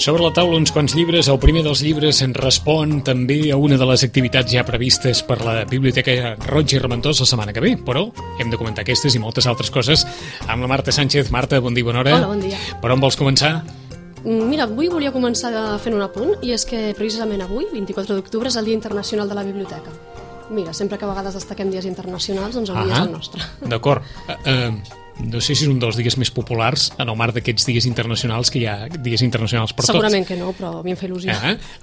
Sobre la taula uns quants llibres. El primer dels llibres respon també a una de les activitats ja previstes per la Biblioteca Roig i Reventós la setmana que ve, però hem de comentar aquestes i moltes altres coses amb la Marta Sánchez. Marta, bon dia, bona hora. Hola, bon dia. Per on vols començar? Mira, avui volia començar fent un apunt, i és que precisament avui, 24 d'octubre, és el Dia Internacional de la Biblioteca. Mira, sempre que a vegades destaquem dies internacionals, doncs avui és el nostre. D'acord. No sé si és un dels dies més populars en el marc d'aquests dies internacionals, que hi ha dies internacionals per tots. Segurament que no, però a mi em fa il·lusió.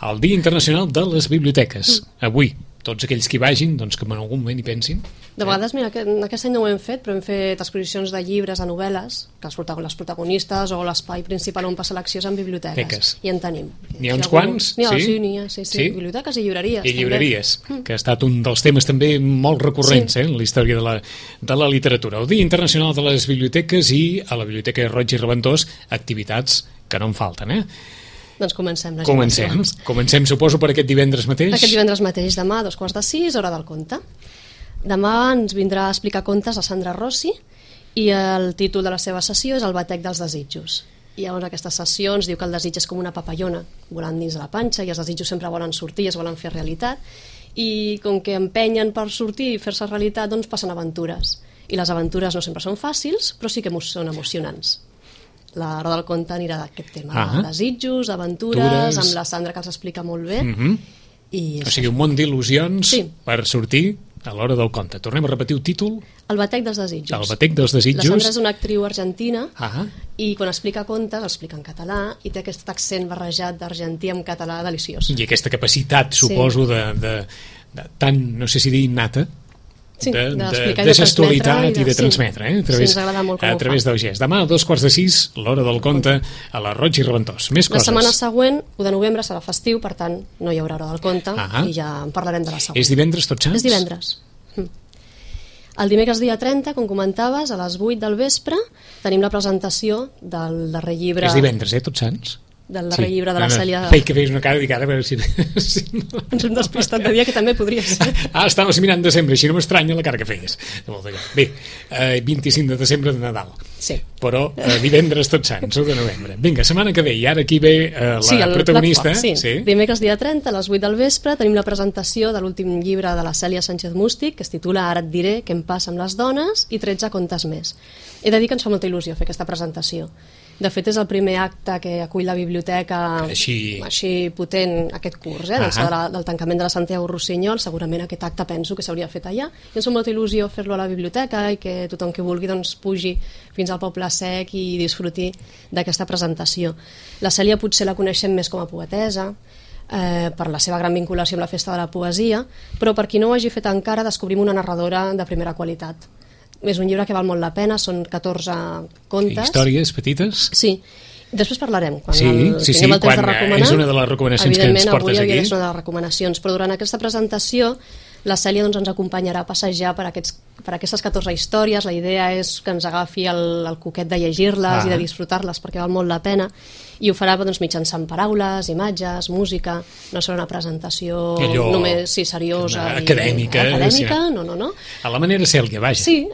El Dia Internacional de les Biblioteques. Avui, tots aquells que hi vagin, doncs que en algun moment hi pensin. De vegades, mira, aquest any no ho hem fet, però hem fet exposicions de llibres, de novel·les, que les protagonistes o l'espai principal on passa l'acció és en biblioteques. I en tenim. N'hi ha uns quants? N'hi ha, sí. Biblioteques i llibreries. I llibreries, que ha estat un dels temes també molt recurrents en la història de la literatura. El Dia Internacional de les Biblioteques i a la Biblioteca Roig i Reventós activitats que no en falten, Doncs comencem. Comencem, suposo, per aquest divendres mateix. Aquest divendres mateix, demà, 5:45, hora del conte. Demà ens vindrà a explicar contes a Sandra Rossi i el títol de la seva sessió és El batec dels desitjos. I llavors aquesta sessió ens diu que el desig és com una papallona volant dins de la panxa i els desitjos sempre volen sortir i es volen fer realitat, i com que empenyen per sortir i fer-se realitat, doncs passen aventures. I les aventures no sempre són fàcils, però sí que són emocionants. La roda del conte anirà d'aquest tema, de desitjos, d'aventures, amb la Sandra, que els explica molt bé. O sigui, un món d'il·lusions per sortir a l'hora del conte. Tornem a repetir el títol. El batec dels desitjos. El batec dels desitjos. La Sandra és una actriu argentina i quan explica contes, explica en català i té aquest accent barrejat d'argentí amb català deliciós. I aquesta capacitat, suposo, de tan, no sé si dir innata, de gestualitat i de transmetre a través del gest. Demà a 5:45, l'hora del conte a la Roig i Reventós. Més coses. La setmana següent, 1 de novembre, serà festiu, per tant no hi haurà hora del conte i ja en parlarem de la següent. És divendres Tots Sants? És divendres. El dimecres dia 30, com comentaves, a les 8 del vespre tenim la presentació del darrer llibre. És divendres, Tots Sants? Del darrer llibre de la Cèlia... Feia que feies una cara dedicada a veure si... Ens hem despistat de dia, que també podria ser. Estaves mirant desembre, així no m'estranya la cara que feies. Bé, 25 de desembre de Nadal. Sí. Però divendres Tots Sants, 1 de novembre. Vinga, setmana que ve, i ara aquí ve la protagonista. Sí. Dimecres dia 30, a les 8 del vespre, tenim la presentació de l'últim llibre de la Cèlia Sánchez Mústic, que es titula Ara et diré què em passa amb les dones, i 13 contes més. He de dir que ens fa molta il·lusió fer aquesta presentació. De fet, és el primer acte que acull la biblioteca així potent aquest curs, del tancament de la Santiago Rossinyol. Segurament aquest acte penso que s'hauria fet allà. I ens fa molta il·lusió fer-lo a la biblioteca i que tothom que vulgui pugi fins al Poble Sec i disfruti d'aquesta presentació. La Cèlia potser la coneixem més com a poetessa, per la seva gran vinculació amb la Festa de la Poesia, però per qui no ho hagi fet encara, descobrim una narradora de primera qualitat. És un llibre que val molt la pena, són 14 contes. Històries petites? Sí. Després parlarem, quan tinguem el temps de recomanar. És una de les recomanacions que ens portes aquí. Evidentment, avui havia de ser una de les recomanacions, però durant aquesta presentació la Cèlia ens acompanyarà a passejar per aquestes 14 històries. La idea és que ens agafi el coquet de llegir-les i de disfrutar-les, perquè val molt la pena, i ho farà mitjançant paraules, imatges, música. No serà una presentació només seriosa acadèmica. No. A la manera Cèlia, vaja. Sí,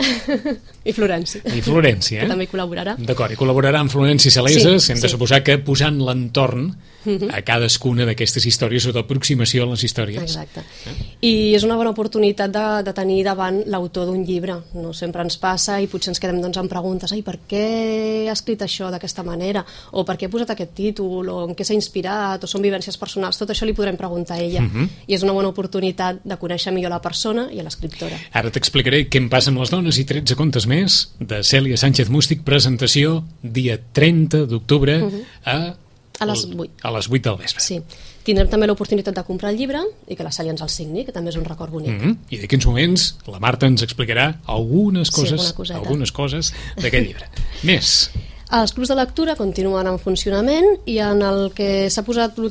i Florenci. Que també col·laborarà. D'acord, i col·laborarà amb Florenci Saleses. Hem de suposar que posant l'entorn a cadascuna d'aquestes històries o d'aproximació a les històries. Exacte. I és una bona oportunitat de tenir davant l'autor d'un llibre. No sempre ens passa i potser ens quedem amb preguntes: per què ha escrit això d'aquesta manera? O per què ha posat aquest títol? O en què s'ha inspirat? O són vivències personals? Tot això li podrem preguntar a ella. I és una bona oportunitat de conèixer millor la persona i a l'escriptora. Ara t'explicaré què em passa amb les dones i 13 contes més de Cèlia Sánchez Mústic. Presentació dia 30 d'octubre a les 8. A les 8 del vespre. Sí. Tindrem també l'oportunitat de comprar el llibre i que la Cèlia ens el signi, que també és un record bonic. I d'aquí uns moments la Marta ens explicarà algunes coses d'aquest llibre. Més. Els clubs de lectura continuen en funcionament i en l'últim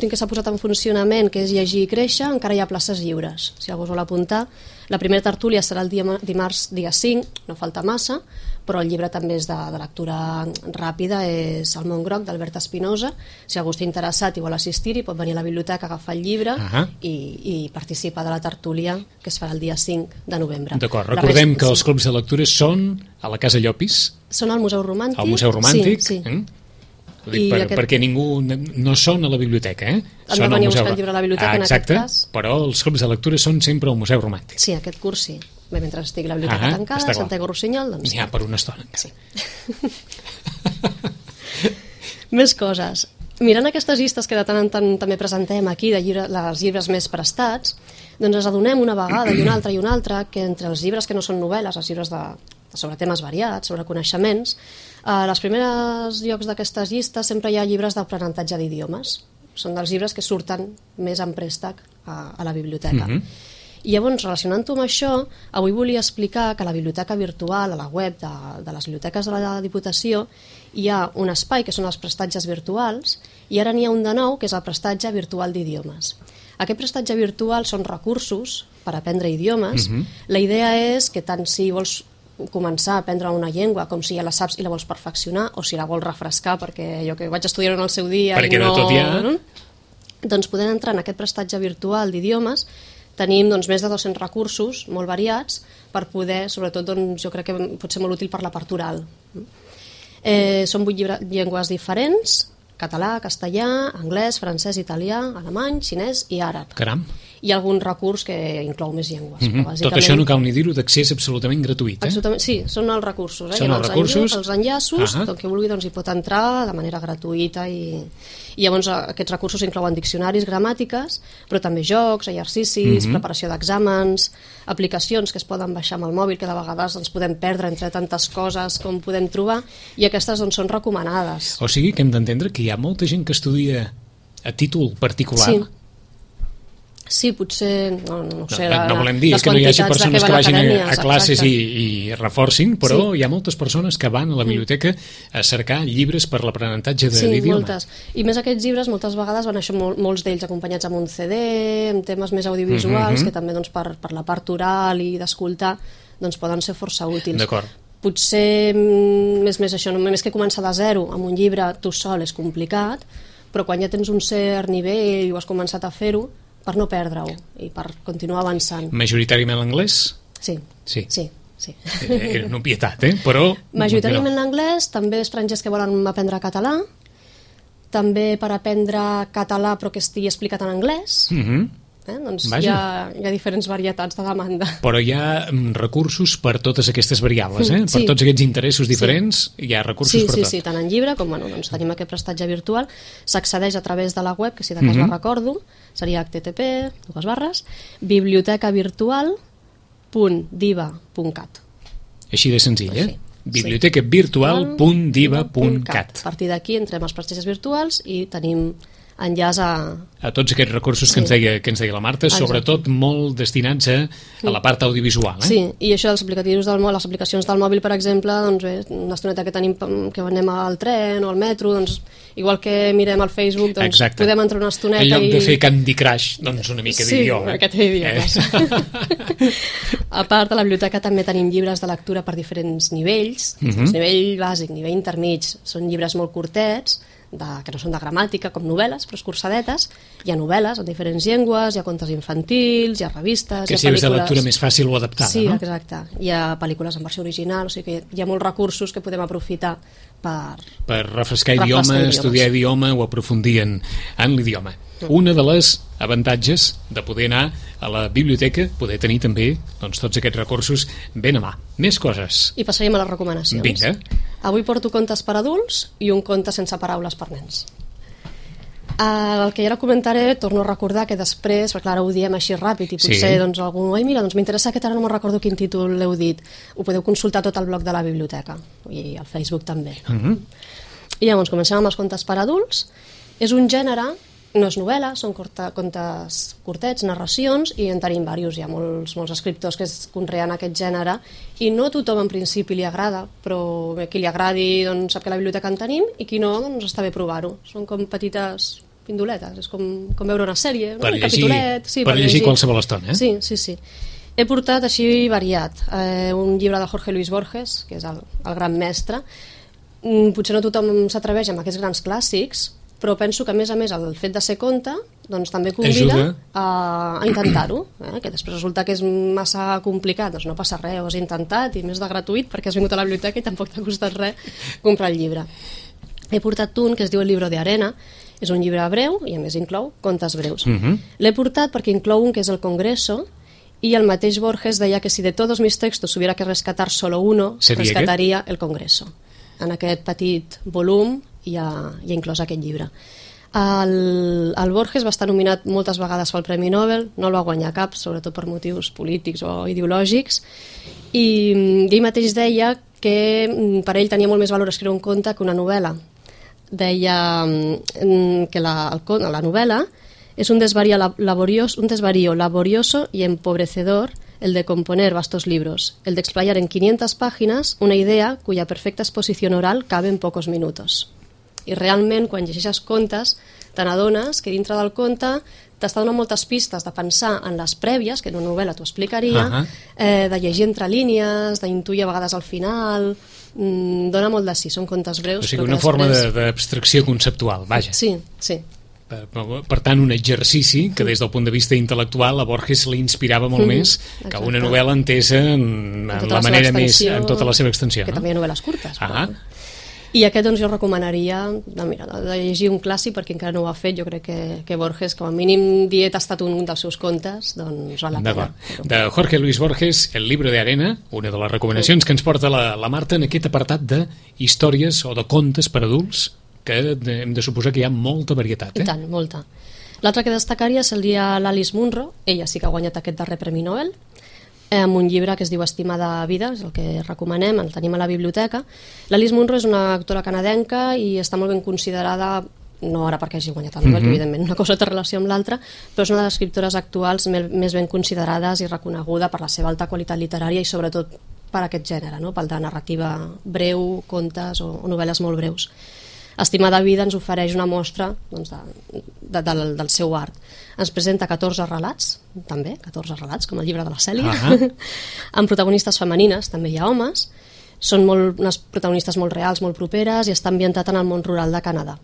que s'ha posat en funcionament, que és Llegir i Créixer, encara hi ha places lliures. Si algú es vol apuntar, La primera tertúlia serà el dimarts dia 5, no falta massa, però el llibre també és de lectura ràpida, és El món groc d'Albert Espinosa. Si algú està interessat i vol assistir-hi, pot venir a la biblioteca, agafar el llibre i participar de la tertúlia que es farà el dia 5 de novembre. D'acord, recordem que els clubs de lectura són a la Casa Llopis. Són al Museu Romàntic. Al Museu Romàntic, sí. Perquè ningú no són a la biblioteca, Han de venir a buscar el llibre a la biblioteca, en aquest cas. Però els clubs de lectura són sempre al Museu Romàntic. Sí, aquest curs sí. Bé, mentre estigui la biblioteca tancada, Santiago Rossinyol, doncs... N'hi ha per una estona. Sí. Més coses. Mirant aquestes llistes que de tant en tant també presentem aquí, de els llibres més prestats, doncs ens adonem una vegada i una altra que entre els llibres que no són novel·les, els llibres sobre temes variats, sobre coneixements, als primers llocs d'aquestes llistes sempre hi ha llibres d'aprenentatge d'idiomes. Són dels llibres que surten més en préstec a la biblioteca. I llavors, relacionant-ho amb això, avui volia explicar que a la biblioteca virtual, a la web de les biblioteques de la Diputació, hi ha un espai que són els prestatges virtuals i ara n'hi ha un de nou que és el prestatge virtual d'idiomes. Aquest prestatge virtual són recursos per aprendre idiomes. La idea és que tant si vols començar a aprendre una llengua com si ja la saps i la vols perfeccionar o si la vols refrescar perquè jo que vaig estudiar en el seu dia perquè i no... tot ja... Doncs podem entrar en aquest prestatge virtual d'idiomes. Tenim doncs, més de 200 recursos molt variats per poder, sobretot doncs, jo crec que pot ser molt útil per la part oral. Són 8 llengües diferents: català, castellà, anglès, francès, italià, alemany, xinès i àrab. Caram. Hi ha algun recurs que inclou més llengües. Tot això no cal ni dir-ho, d'accés absolutament gratuït. Absolutament, sí, són els recursos. Són els recursos. Els enllaços, tot que vulgui doncs, hi pot entrar de manera gratuïta i llavors aquests recursos inclouen diccionaris, gramàtiques, però també jocs, exercicis, preparació d'exàmens, aplicacions que es poden baixar amb el mòbil, que de vegades ens podem perdre entre tantes coses com podem trobar, i aquestes doncs, són recomanades. O sigui que hem d'entendre que hi ha molta gent que estudia a títol particular. Sí, potser... No sé, no volem dir que no hi hagi persones que vagin a classes i reforcin, però hi ha moltes persones que van a la biblioteca a cercar llibres per l'aprenentatge de l'idioma. Sí, moltes. I més aquests llibres moltes vegades van això, molts d'ells acompanyats amb un CD, amb temes més audiovisuals, que també doncs, per la part oral i d'escoltar doncs, poden ser força útils. D'acord. Potser més això, només que començar de zero amb un llibre tu sol és complicat, però quan ja tens un cert nivell i ho has començat a fer-ho, per no perdre-ho i per continuar avançant. Majoritàriament l'anglès? Sí. Era una obvietat, però... Majoritàriament l'anglès, també estrangers que volen aprendre català, també per aprendre català però que estigui explicat en anglès. Doncs hi ha diferents varietats de demanda. Però hi ha recursos per totes aquestes variables, per tots aquests interessos diferents, hi ha recursos per tot. Sí, tant en llibre com doncs tenim aquest prestatge virtual, s'accedeix a través de la web, que si de cas la recordo, seria http://bibliotecavirtual.diva.cat. Així de senzill, bibliotecavirtual.diva.cat. A partir d'aquí entrem als prestatges virtuals i tenim enllaç a tots aquests recursos que ens deia la Marta, sobretot molt destinats a la part audiovisual. Sí, i això dels aplicatius del mòbil, les aplicacions del mòbil, per exemple, doncs bé, una estoneta que tenim que anem al tren o al metro, doncs igual que mirem al Facebook, doncs podem entrar una estoneta en lloc de fer Candy Crush, doncs una mica d'idioma. Sí, una miqueta d'idiomes. A part, a la biblioteca també tenim llibres de lectura per diferents nivells, nivell bàsic, nivell intermig, són llibres molt curtets, que no són de gramàtica, com novel·les, però escurçadetes. Hi ha novel·les en diferents llengües, hi ha contes infantils, hi ha revistes, que hi ha pel·lícules... Que si és de lectura més fàcil o adaptada, no? Sí, exacte. Hi ha pel·lícules en versió original, o sigui que hi ha molts recursos que podem aprofitar per refrescar idioma, estudiar idioma o aprofundir en l'idioma. Una de les avantatges de poder anar a la biblioteca, poder tenir també tots aquests recursos ben a mà. Més coses. I passaríem a les recomanacions. Vinga. Avui porto contes per adults i un conte sense paraules per nens. El que ja ara comentaré, torno a recordar que després, perquè ara ho diem així ràpid i potser doncs, algú, mira, doncs m'interessa aquest, ara no me'n recordo quin títol l'heu dit, ho podeu consultar tot al blog de la biblioteca i al Facebook també. I llavors comencem amb els contes per adults. És un gènere, no és novel·la, són contes curtets, narracions, i en tenim diversos. Hi ha molts escriptors que es conreen aquest gènere i no a tothom en principi li agrada, però qui li agradi doncs, sap que a la biblioteca en tenim i qui no, doncs està bé provar-ho. Són com petites pindoletes, és com veure una sèrie, un capitolet. Per llegir qualsevol estona. Sí. He portat així variat. Un llibre de Jorge Luis Borges, que és el gran mestre. Potser no tothom s'atreveix amb aquests grans clàssics, però penso que a més el fet de ser conte doncs també convida a intentar-ho, que després resulta que és massa complicat, doncs no passa res, ho has intentat i més de gratuït perquè has vingut a la biblioteca i tampoc t'ha costat res comprar el llibre. He portat un que es diu El libro de arena, és un llibre breu i a més inclou contes breus. L'he portat perquè inclou un que és El Congreso, y el mateix Borges deia que si de todos mis textos hubiera que rescatar solo uno, rescataria El Congreso. En aquest petit volum hi ha inclòs aquest llibre. El Borges va estar nominat moltes vegades pel Premi Nobel, no el va guanyar cap, sobretot per motius polítics o ideològics, i ell mateix deia que per ell tenia molt més valor escriure un conte que una novel·la. Deia que la novel·la es un desvarío laborioso y empobrecedor el de componer vastos libros, el de explayar en 500 páginas una idea cuya perfecta exposición oral cabe en pocos minutos. I realment, quan llegeixes contes, te n'adones que dintre del conte t'està donant moltes pistes de pensar en les prèvies, que en una novel·la t'ho explicaria, de llegir entre línies, d'intuir a vegades al final, dona molt de sí, són contes breus. O sigui, una forma d'abstracció conceptual, vaja. Sí, sí. Per tant, un exercici que des del punt de vista intel·lectual a Borges li inspirava molt més que una novel·la entesa en la manera més, en tota la seva extensió. Que també hi ha novel·les curtes. I aquest doncs jo recomanaria de llegir un clàssic perquè encara no ho ha fet. Jo crec que Borges, com a mínim ha tastat un dels seus contes, doncs val la pena. De Jorge Luis Borges, El libro de arena, una de les recomanacions que ens porta la Marta en aquest apartat de històries o de contes per adults, que hem de suposar que hi ha molta varietat. I tant, molta. L'altre que destacaria seria l'Alice Munro. Ella sí que ha guanyat aquest darrer Premi Nobel, amb un llibre que es diu Estimada vida, és el que recomanem, el tenim a la biblioteca. L'Alice Munro és una actora canadenca i està molt ben considerada, no ara perquè hagi guanyat el Nobel, que evidentment una cosa té relació amb l'altra, però és una de les escriptores actuals més ben considerades i reconeguda per la seva alta qualitat literària i sobretot per aquest gènere, no? Pel de narrativa breu, contes o novel·les molt breus. Estimada vida ens ofereix una mostra doncs, del seu art. Ens presenta 14 relats, també, 14 relats, com el llibre de la Cèlia, amb protagonistes femenines, també hi ha homes, són unes protagonistes molt reals, molt properes, i està ambientat en el món rural de Canadà.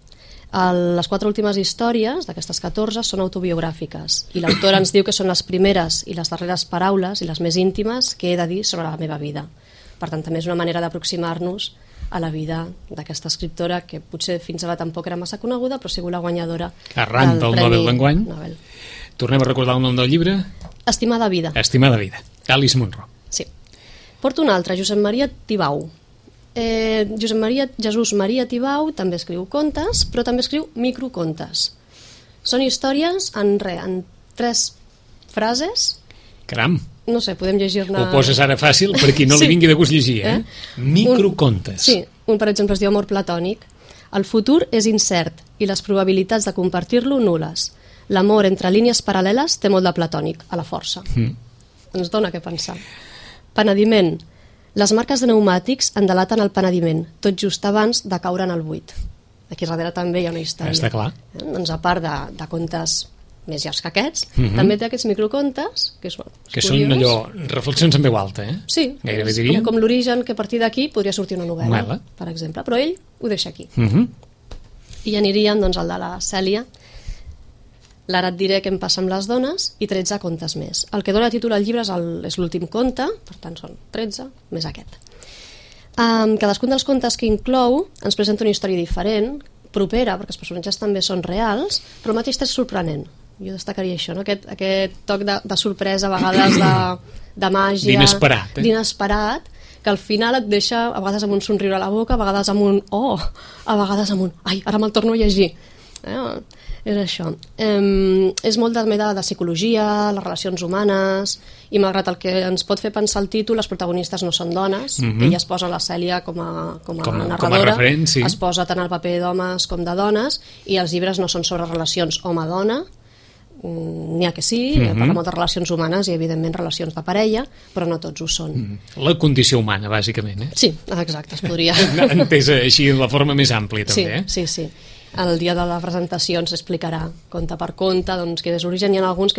Les 4 últimes històries d'aquestes 14 són autobiogràfiques, i l'autora ens diu que són les primeres i les darreres paraules i les més íntimes que he de dir sobre la meva vida. Per tant, també és una manera d'aproximar-nos a la vida d'aquesta escriptora que potser fins ara tampoc era massa coneguda, però ha sigut la guanyadora arran del Nobel d'enguany. Tornem a recordar el nom del llibre? Estimada vida. Estimada vida, Alice Munro. Sí. Porto un altre, Josep Maria Tibau. Jesús Maria Tibau també escriu contes, però també escriu microcontes. Són històries en 3 frases. Caram! No sé, podem llegir-ne... Ho poses ara fàcil per qui no li vingui de gust llegir, Microcontes. Sí, un per exemple es diu Amor platònic. El futur és incert i les probabilitats de compartir-lo nul·les. L'amor entre línies paral·leles té molt de platònic, a la força. Ens dona què pensar. Penediment. Les marques de pneumàtics en delaten el penediment, tot just abans de caure en el buit. Aquí darrere també hi ha una història. Està clar. Doncs a part de contes més llargs que aquests, també té aquests microcontes que són allò, reflexions en veu alta, Sí, gairebé diria. Com l'origen, que a partir d'aquí podria sortir una novel·la, per exemple, però ell ho deixa aquí. I aniríem doncs al de la Cèlia, L'ara et diré què em passa amb les dones, i 13 contes més. El que dona títol al llibre és l'últim conte, per tant són 13 més aquest. Cadascun dels contes que inclou ens presenta una història diferent, propera, perquè els personatges també són reals, però el mateix és sorprenent. Jo destacaria això, no? Aquest toc de sorpresa, a vegades de màgia, d'inesperat, que al final et deixa a vegades amb un somriure a la boca, a vegades amb un oh, a vegades amb un ai, ara me'l torno a llegir. És això. És molt també de psicologia, les relacions humanes, i malgrat el que ens pot fer pensar el títol, les protagonistes no són dones. Ella es posa la Cèlia com a narradora, com a referent, sí. Es posa tant el paper d'homes com de dones, i els llibres no són sobre relacions home-dona, n'hi ha que sí, parla molt de relacions humanes i evidentment relacions de parella, però no tots ho són. La condició humana, bàsicament, Sí, exacte, es podria... Entesa així de la forma més àmplia, també, Sí. El dia de la presentació ens explicarà conte per conte doncs, quin és l'origen. Hi ha algun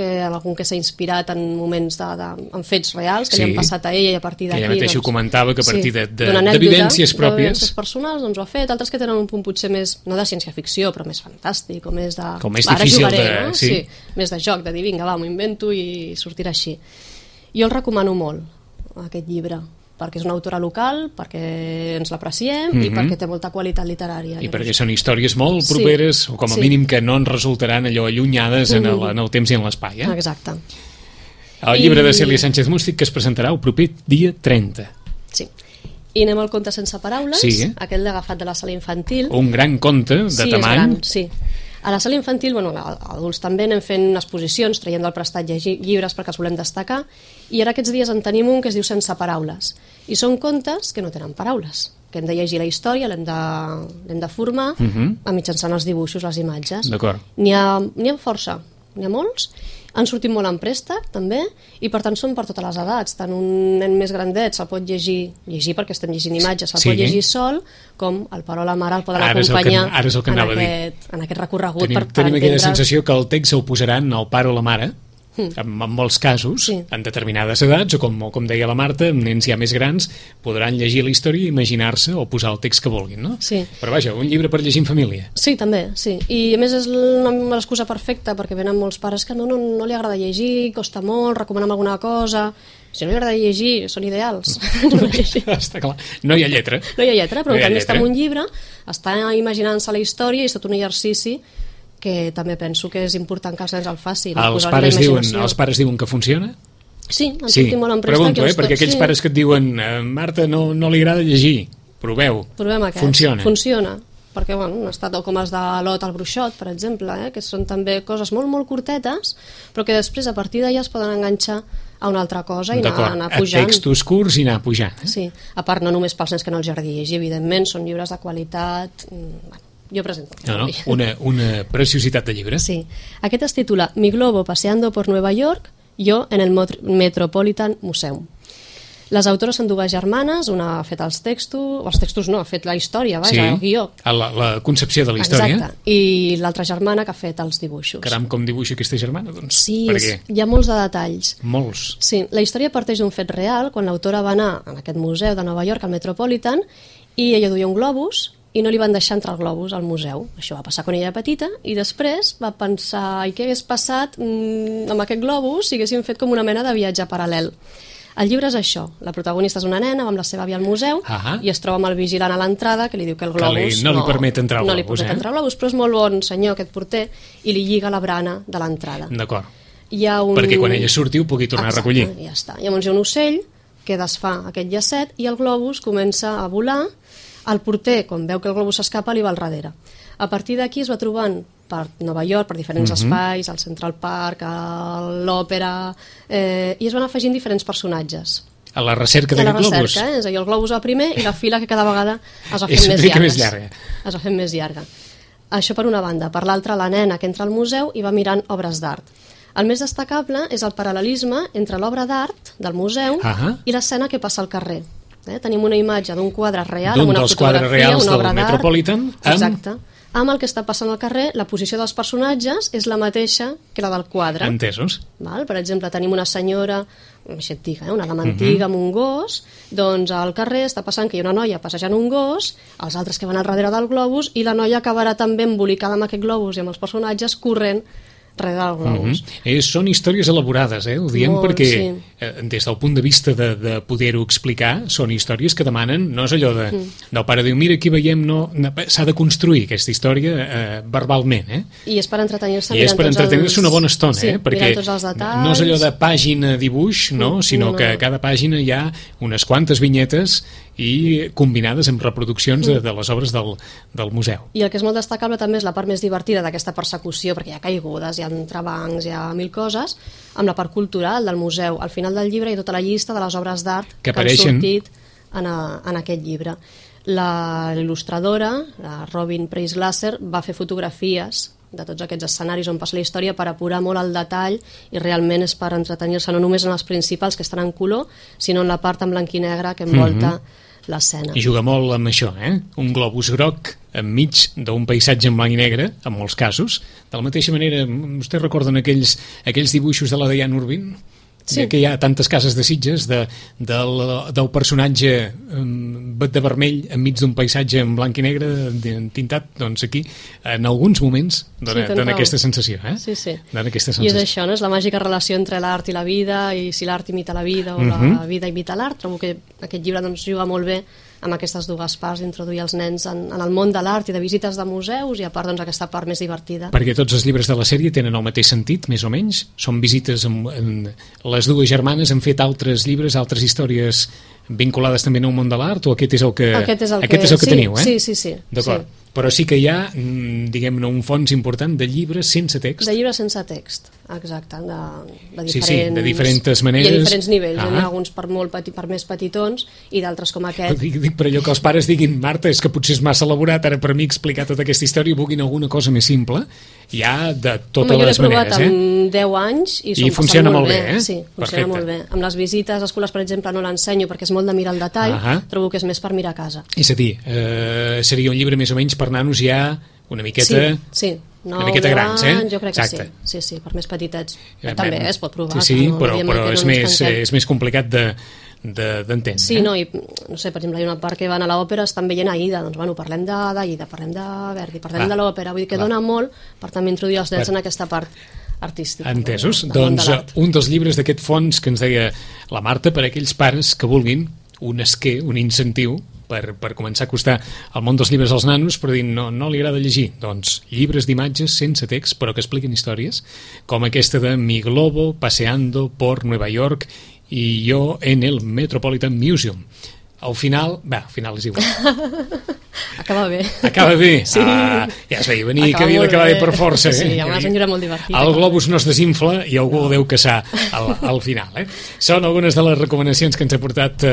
que s'ha inspirat en moments en fets reals que li han passat a ella i a partir d'aquí... Que ella mateixa ho comentava, que a partir d'evidències pròpies... D'evidències personals doncs ho ha fet, altres que tenen un punt potser més, no de ciència-ficció, però més fantàstic, o més de... Com més difícil de... Sí, més de joc, de dir, vinga, va, m'ho invento i sortirà així. Jo el recomano molt, aquest llibre, perquè és una autora local, perquè ens l'apreciem i perquè té molta qualitat literària. I perquè són històries molt properes, o com a mínim que no ens resultaran allò allunyades en el temps i en l'espai. Exacte. El llibre de Cèlia Sánchez Mústic que es presentarà el proper dia 30. Sí. I anem al conte sense paraules, aquell agafat de la sala infantil. Un gran conte de tamany. Sí. A la sala infantil, adults també anem fent exposicions, traient del prestat llibres perquè els volem destacar, i ara aquests dies en tenim un que es diu Sense paraules. I són contes que no tenen paraules, que hem de llegir la història, l'hem de formar mitjançant els dibuixos, les imatges. D'acord. N'hi ha força, n'hi ha molts. Han sortit molt en préstec, també, i per tant són per totes les edats. Tant un nen més grandet se'l pot llegir perquè estem llegint imatges, se'l pot llegir sol, com el pare o la mare el poden acompanyar en aquest recorregut per entendre. Tenim aquella sensació que el text el posaran el pare o la mare, en molts casos, en determinades edats, o com deia la Marta, nens ja més grans podran llegir la història i imaginar-se o posar el text que vulguin, no? Sí. Però vaja, un llibre per llegir en família. Sí, també, sí. I a més és l'excusa perfecta, perquè venen molts pares que no li agrada llegir, costa molt, recomanem alguna cosa... Si no li agrada llegir, són ideals. Està clar. No hi ha lletra. No hi ha lletra, però en canvi està en un llibre, està imaginant-se la història i és tot un exercici que també penso que és important que els nens el facin. Els pares diuen que funciona? Sí, han sortit molt en préstec. Pregunto, perquè aquells pares que et diuen Marta, no li agrada llegir, provem aquest. Funciona, perquè han estat com els de l'Ot al Bruixot, per exemple, que són també coses molt, molt curtetes, però que després a partir d'allà es poden enganxar a una altra cosa i anar pujant. A textos curts i anar pujant. Sí, a part no només pels nens que no els agradi llegir, evidentment, són llibres de qualitat... Jo presento. Una preciositat de llibre. Sí. Aquest es titula Mi globo paseando por Nueva York, yo en el Metropolitan Museum. Les autores són dues germanes, una ha fet els textos no, ha fet la història, el guió. La concepció de la història. Exacte. I l'altra germana que ha fet els dibuixos. Caram, com dibuixa aquesta germana, doncs? Sí, hi ha molts de detalls. Molts. Sí, la història parteix d'un fet real, quan l'autora va anar a aquest museu de Nova York, al Metropolitan, i ella duia un globus, i no li van deixar entrar el globus al museu. Això va passar quan ella era petita, i després va pensar què hagués passat amb aquest globus si haguéssim fet com una mena de viatge paral·lel. El llibre és això, la protagonista és una nena, va amb la seva àvia al museu i es troba amb el vigilant a l'entrada que li diu que el globus no li permet entrar el globus. No li permet entrar el globus, però és molt bon senyor aquest porter i li lliga la brana de l'entrada. D'acord. Perquè quan ella surti ho pugui tornar a recollir. Ja està. Llavors hi ha un ocell que desfà aquest llacet i el globus comença a volar. El porter, quan veu que el globus s'escapa, li va al darrere. A partir d'aquí es va trobant per Nova York, per diferents espais, al Central Park, a l'òpera, i es van afegint diferents personatges. A la recerca d'aquest globus? A la recerca, és a dir, el globus va primer i la fila que cada vegada es va fent més llarga. Es va fent més llarga. Això per una banda. Per l'altra, la nena que entra al museu i va mirant obres d'art. El més destacable és el paral·lelisme entre l'obra d'art del museu i l'escena que passa al carrer. Tenim una imatge d'un quadre real, amb una fotografia, una obra d'art. Metropolitan. Exacte. Amb el que està passant al carrer, la posició dels personatges és la mateixa que la del quadre. Entesos. Per exemple, tenim una senyora, una dama antiga amb un gos, doncs al carrer està passant que hi ha una noia passejant un gos, els altres que van al darrere del globus, i la noia acabarà també embolicada amb aquest globus i amb els personatges corrent darrere del globus. Són històries elaborades, ho diem perquè des del punt de vista de poder-ho explicar, són històries que demanen, no és allò del pare diu, mira, aquí veiem, s'ha de construir aquesta història verbalment. I és per entretenir-se. I és per entretenir-se una bona estona, perquè tots els detalls. No és allò de pàgina-dibuix, sinó que a cada pàgina hi ha unes quantes vinyetes i combinades amb reproduccions de les obres del museu. I el que és molt destacable també és la part més divertida d'aquesta persecució, perquè hi ha caigudes, hi ha entrebancs, hi ha mil coses, amb la part cultural del museu. Al final del llibre hi ha tota la llista de les obres d'art que han sortit en aquest llibre. Il·lustradora, la Robin Preis-Glasser, va fer fotografies de tots aquests escenaris on passa la història per apurar molt el detall, i realment és per entretenir-se no només en els principals que estan en color, sinó en la part en blanc i negre que envolta l'escena. I juga molt amb això, un globus groc enmig d'un paisatge en blanc i negre, en molts casos. De la mateixa manera, vostès recorden aquells dibuixos de la Diane Urbin? Sí. Que hi ha tantes cases de Sitges del personatge de vermell enmig d'un paisatge en blanc i negre tintat, doncs aquí en alguns moments dona aquesta sensació, Sí. Dona aquesta sensació. I és això, no? És la màgica relació entre l'art i la vida, i si l'art imita la vida o la vida imita l'art. Trobo que aquest llibre doncs juga molt bé amb aquestes dues parts, d'introduir els nens en el món de l'art i de visites de museus, i a part doncs aquesta part més divertida. Perquè tots els llibres de la sèrie tenen el mateix sentit, més o menys? Són visites les dues germanes han fet altres llibres, altres històries vinculades també a un món de l'art, o aquest és el que teniu, Sí. D'acord. Sí. Però sí que hi ha, diguem-ne, un fons important de llibres sense text. De llibres sense text, exacte, de diferents maneres. I a diferents nivells, hi ha alguns per més petitons i d'altres com aquest. Dic per allò que els pares diguin, Marta, és que potser és massa elaborat ara per mi explicar tota aquesta història i vulguin alguna cosa més simple, hi ha de totes les maneres. Jo l'he provat amb 10 anys i funciona molt bé. Sí, funciona molt bé. Amb les visites a escoles, per exemple, no l'ensenyo perquè és molt de mirar el detall, trobo que és més per mirar a casa. És a dir, seria un llibre més o menys per nanos ja una miqueta... Sí. Una miqueta grans, Jo crec que sí, per més petitets. També es pot provar. Sí, però és més complicat d'entendre. Sí, no, i no sé, per exemple, hi ha una part que van a l'òpera, estan veient Aida, doncs bueno, parlem d'Aida, parlem de Verdi, parlem de l'òpera, vull dir que dona molt per també introduir els nens en aquesta part artística. Entesos? Doncs un dels llibres d'aquest fons que ens deia la Marta, per a aquells pares que vulguin un esquer, un incentiu per començar a acostar el món dels llibres als nanos, però dir, no li agrada llegir, doncs llibres d'imatges sense text però que expliquen històries, com aquesta de Mi Globo paseando por Nueva York i yo en el Metropolitan Museum. Al final és igual. Acaba bé. Acaba bé? Sí. Ja es veia venir que havia d'acabar bé per força. Sí, hi ha una senyora molt divertida. El globus no es desinfla i algú el deu caçar al final. Són algunes de les recomanacions que ens ha portat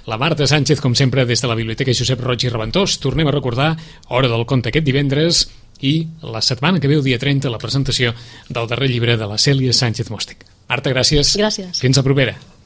la Marta Sánchez, com sempre, des de la Biblioteca Josep Roig i Reventós. Tornem a recordar Hora del Conte aquest divendres i la setmana que ve, el dia 30, la presentació del darrer llibre de la Cèlia Sánchez Mostec. Marta, gràcies. Gràcies. Fins la propera.